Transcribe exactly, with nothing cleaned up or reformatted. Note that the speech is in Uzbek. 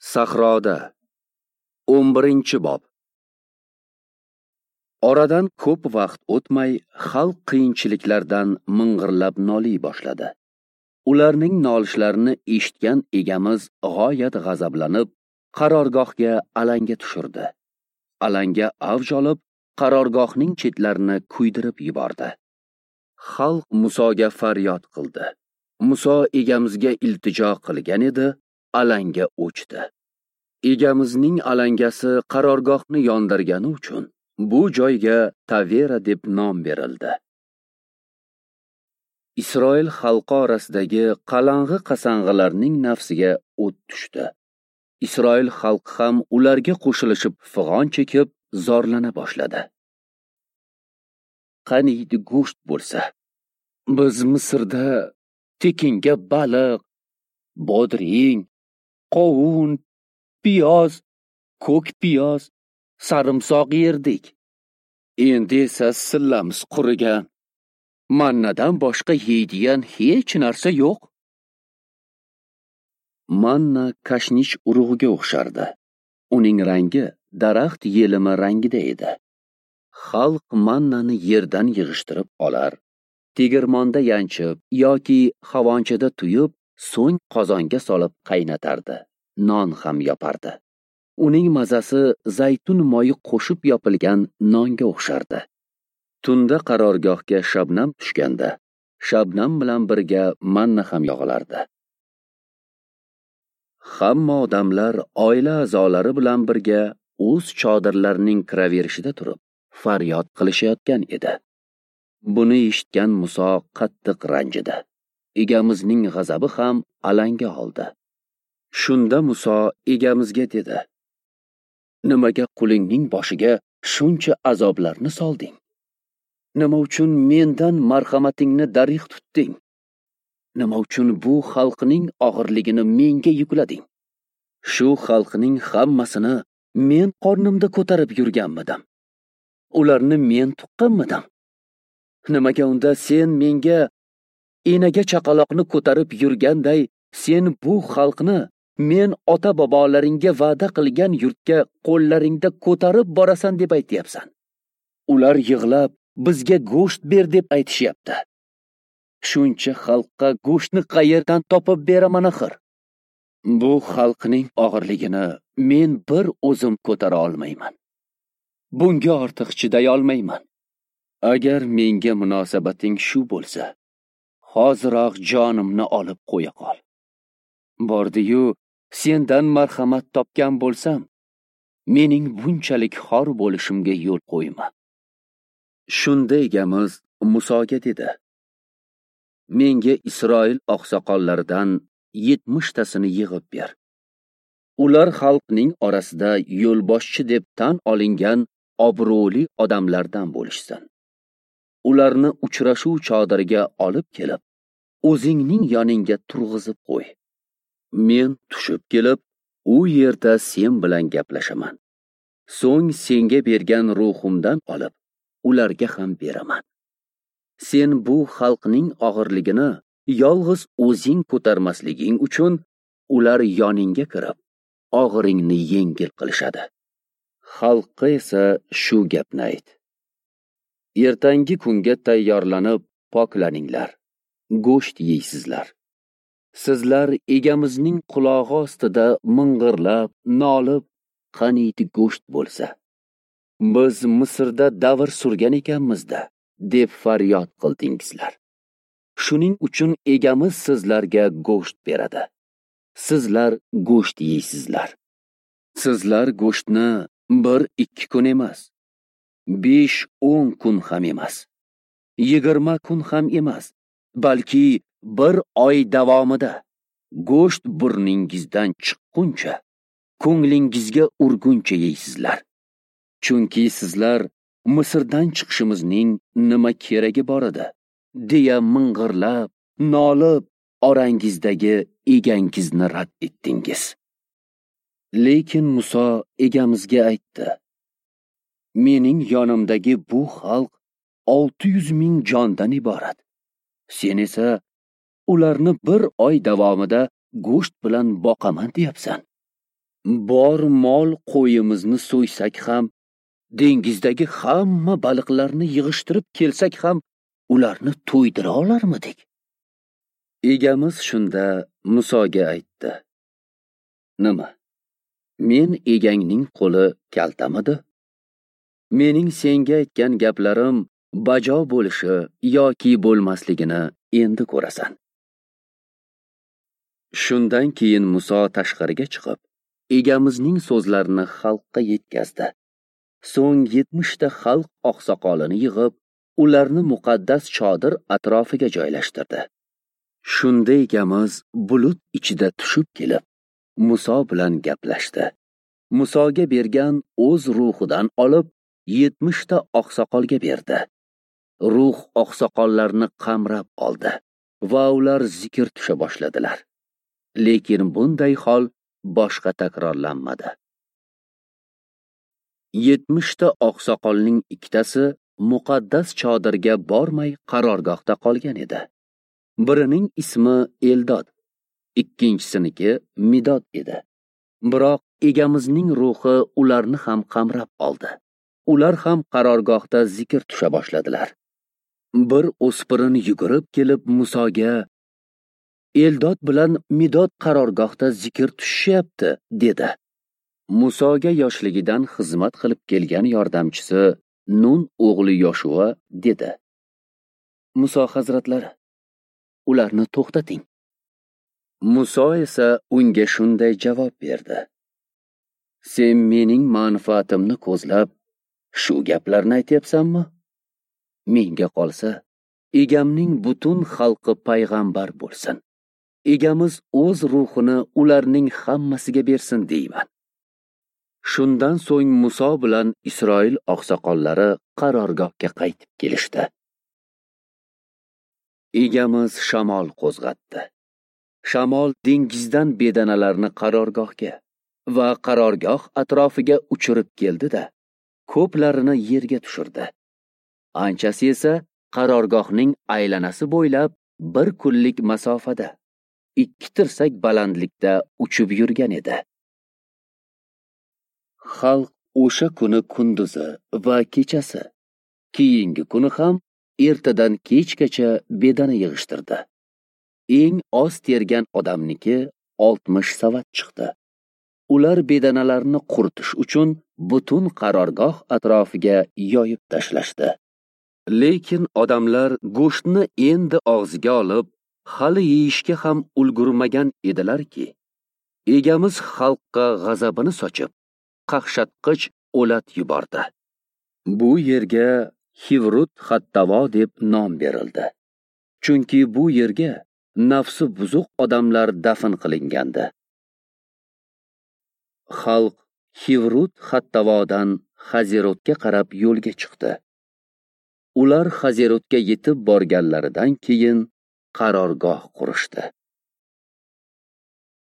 Sahroda o'n birinchi bob. Oradan ko'p vaqt o'tmay, xalq qiyinchiliklardan ming'irlab noliy boshladi. Ularning nolishlarini eshitgan egamiz g'oyat g'azablanib, qarorgohga alanga tushirdi. Alanga avj olib, qarorgohning chetlarini kuydirib yubordi. Xalq Musoga faryod qildi. Muso egamizga iltijo qilgan edi, alanga o'chdi. Egamizning alangasi qarorgohni yondirgani uchun bu joyga Tavera deb nom berildi. Isroil xalqi orasidagi qalang'i-qasang'ilarning nafsiga o't tushdi. Isroil xalqi ham ularga qo'shilishib fig'on chekib zorlana boshladi. Qaniydi go'sht bo'lsa. Biz Misrda tekinga baliq, bodring, qovun, piyoz, ko'k piyoz, sarimsoq yerdik. Endi esa sillamiz qurigan. Mannadan boshqa yeydigan hech narsa yo'q. Manna kashnich urug'iga o'xshardi. Uning rangi daraxt yelimi rangida edi. Xalq mannani yerdan yig'ishtirib olar, tegirmonda yanchib yoki havonchada tuyib, so'ng qozonga solib qaynatardi. Non ham yopardi. Uning mazasi zaytun moyi qo'shib yopilgan nonga o'xshardi. Tunda qarorgohga shabnam tushganda, shabnam bilan birga manna ham yog'ilardi. Hamma odamlar oila a'zolari bilan birga o'z chodirlarining kiraverishida turib, faryod qilishayotgan edi. Buni eshitgan Muso qattiq ranjidi. Egamizning g'azabi ham alanga oldi. Shunda Muso egamizga dedi: "Nimaga qulingning boshiga shuncha azoblarni solding? Nima uchun mendan marhamatingni darig' tutding? Nima uchun bu xalqning og'irligini menga yuklading? Shu xalqning hammasini men qornimda ko'tarib yurganmidim? Ularni men tuqqanmidim? Nimaga unda sen menga enaga chaqaloqni ko'tarib yurganday sen bu xalqni men ota-bobolaringga va'da qilgan yurtga qo'llaringda ko'tarib borasan deb aytyapsan? Ular yig'lab bizga go'sht ber deb aytishyapti. Shuncha xalqqa go'shtni qayerdan topib beraman axir? Bu xalqning og'irligini men bir o'zim ko'tara olmayman. Bunga ortiq chiday olmayman. Agar menga munosabating shu bo'lsa, hoziroq jonimni olib qo'ya qol. Bordi-yu, sendan marhamat topgan bo'lsam, mening bunchalik xor bo'lishimga yo'l qo'yma." Shunda egamiz Musoga dedi: "Menga Isroil oqsoqollaridan yetmishtasini yig'ib ber. Ular xalqning orasida yo'lboshchi deb tan olingan obro'li odamlardan bo'lishsin. Ularni uchrashuv chodiriga olib kelib, o'zingning yoningga turg'izib qo'y. Men tushib kelib, u yerda sen bilan gaplashaman. So'ng senga bergan ruhimdan olib, ularga ham beraman. Sen bu xalqning og'irligini yolg'iz o'zing ko'tarmasliging uchun ular yoningga kirib, og'iringni yengil qilishadi. Xalqqa esa shu gapni ayt: Ertangi kunga tayyorlanib poklaninglar, go'sht yeysizlar. Sizlar egamizning qulog'i ostida ming'irlab, nolib, qaniydi go'sht bo'lsa. Biz Misrda davr surgan ekanmiz-da, deb faryod qildingizlar. Shuning uchun egamiz sizlarga go'sht beradi. Sizlar go'sht yeysizlar. Sizlar go'shtni bir ikki kun emas, besh o'n kun ham emas, yigirma kun ham emas, balki bir oy davomida go'sht burningizdan chiqquncha, ko'nglingizga urguncha yeysizlar. Chunki sizlar Misrdan chiqishimizning nima keragi bor edi, deya ming'irlab, nolib, orangizdagi egangizni rad etdingiz." Lekin Muso egamizga aytdi: "Mening yonimdagi bu xalq olti yuz ming jondan iborat. Sen esa ularni bir oy davomida go'sht bilan boqaman deyapsan. Bor mol qo'yimizni so'ysak ham, dengizdagi hamma baliqlarni yig'ishtirib kelsak ham ularni to'ydira olarmidik? Egamiz shunda Musoga aytdi: Nima? Men egangning qo'li kaltamidi? Mening senga aytgan gaplarim bajo bo'lishi yoki bo'lmasligini endi ko'rasan. Shundan keyin Muso tashqariga chiqib, egamizning so'zlarini xalqqa yetkazdi. So'ng yetmishta xalq oqsoqolini yig'ib, ularni muqaddas chodir atrofiga joylashtirdi. Shunda egamiz bulut ichida tushib kelib, Muso bilan gaplashdi. Musoga bergan o'z ruhidan olib, yetmishta oqsoqolga berdi. Ruh oqsoqollarni qamrab oldi va ular zikr tusha boshladilar. Lekin bunday hol boshqa takrorlanmadi. Yetmishta oqsoqolning ikkitasi muqaddas chodirga bormay qarorgohda qolgan edi. Birining ismi Eldod, ikkinchisiniki Midod edi. Biroq egamizning ruhi ularni ham qamrab oldi. Ular ham qarorgohda zikr tusha boshladilar. Bir o'spirin yugurib kelib Musoga: Eldod bilan Midod qarorgohda zikr tushishyapti, dedi. Musoga yoshligidan xizmat qilib kelgan yordamchisi Nun o'g'li Yoshua dedi: Muso hazratlari, ularni to'xtating. Muso esa unga shunday javob berdi: Sen mening manfaatimni ko'zlab shu gaplarni aytyapsanmi? Menga qolsa, egamning butun xalqi payg'ambar bo'lsin. Egamiz o'z ruhini ularning hammasiga bersin deyman. Shundan so'ng Muso bilan Isroil oqsoqollari qarorgohga qaytib kelishdi. Egamiz shamol qo'zg'atdi. Shamol dengizdan bedanalarni qarorgohga va qarorgoh atrofiga uchirib keldi-da, ko'plarini yerga tushirdi. Anchasi esa qarorgohning aylanasi bo'ylab bir kunlik masofada, ikki tirsak balandlikda uchib yurgan edi. Xalq o'sha kuni kunduzi va kechasi, keyingi kuni ham ertadan kechgacha bedana yig'ishtirdi. Eng oz tergan odamniki oltmish savat chiqdi. Ular bedanalarni quritish uchun butun qarorgoh atrofiga yoyib tashlashdi. Lekin odamlar go'shtni endi og'ziga olib, hali yeyishga ham ulgurmagan edilarki, egamiz xalqqa g'azabini sochib, qaqshatqich o'lat yubordi. Bu yerga Hivrut Hattavo deb nom berildi. Chunki bu yerga nafsi buzuq odamlar dafn qilingandi. Xalq Hivrut Hattavodan Hazirotga qarab yo'lga chiqdi. Ular Hazirotga yetib borganlaridan keyin qarorgoh qurishdi.